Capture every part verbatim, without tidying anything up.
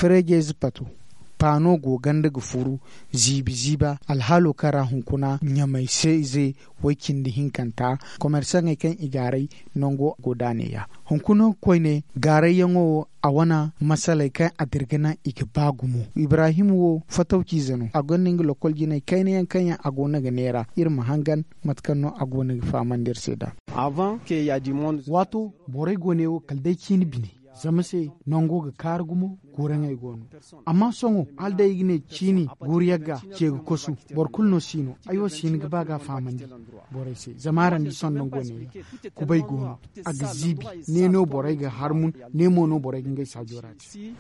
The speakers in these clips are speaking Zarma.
Ferejeezi pato paano go ganda ga furu ziibi ziiba alhaalo kaŋ ra hunkuna ɲamay se ize way cindi hinkanta komersaŋey kaŋ i gaaray nango go da a neeya. Hunkuna koyne gaarayyaŋo wo a wane masaley kaŋ a dirga naŋ i ga ba gumo. Ibrahim wo fatawciize no a gonda nga lokol jinay kayna yaŋ kaŋ yaŋ a go no ga neera iri ma hangan mate kaŋ no a go no ga fahamandi iri se nd'a. Waato borey go ne wo kala day ciini bine zama se nango ga kaari gumo guuraŋey go no. Amma sohõ hala day i ga ne ciini guuru yagga ce ga kosu boro kulu no si no ay wo si hin ga ba ga a fahamandi borey se zama araŋ di sohõ nango ne kubay go no a ga ziibi ne no borey ga harmun ne mo no borey ga ngey saajo ra te.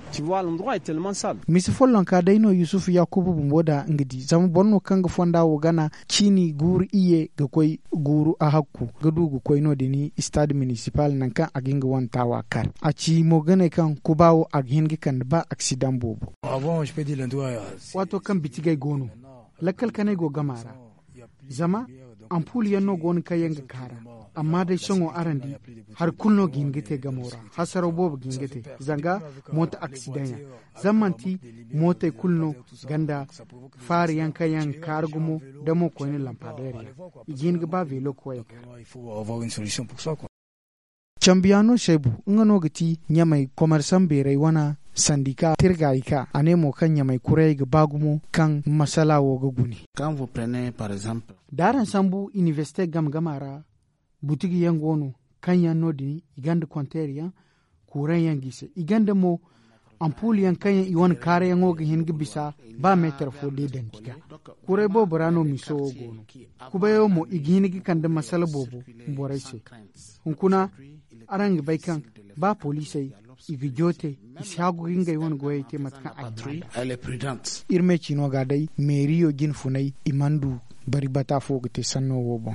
Misa follonka day no yusufu yaakuba bumbo da nga di zama boro no kaŋ ga fonda wo gana ciini guuru iyye ga koy guuru a hakku ga du ga koy no- din stade municipal nangu kaŋ a ga hin ga wane taawa kar a ci mo ga ne kaŋ kuba wo a ga hin ga kande ba aksidaŋ boobo. Waato kaŋ bitigey go no lakkal kanay go gama ra zama ampul yaŋ no go no kaŋ yaŋ ga kaara. Amma day sohõ araŋ di hari kulu no ga hin ga te gamo ra hasaraw boobo ga hin ga te zanga mooto aksidaŋ yaŋ zama manti mootey kulu no ganda faari yaŋ kaŋ yaŋ ga kaara gumo da mo koyne lampadeer yaŋ i ga hin ga ba veelo koyey kaara. Cambiyaano seebu nga no ga ti ɲamay komersaŋ beeray wane sandika tirgaayi ka a ne mo kaŋ ɲamay kurayey ga ba gumo kaŋ masala wo ga gune. Da araŋ sambu inibersite game game a ra butigi yaŋ go no kaŋ yaŋ no- din i gonda konteer yaŋ kuuraŋ yaŋ ga i se i gonda mo ampul yaŋ kaŋ yaŋ i wane kaarayaŋo ga hin ga bisa ba meetar fo day dandi ga. Kuray boobo ra no miso wo go no kubayo mo i ga hin ga kande masala boobo borey se. Hunkuna araŋ ga bay kaŋ ba poliisey i ga joote i si haagu ga ngey wane goyey te mate kaŋ a ga iri me ciino ga day meeriyo jine funay i mana du bari bata fo ga te sanno wo boŋ.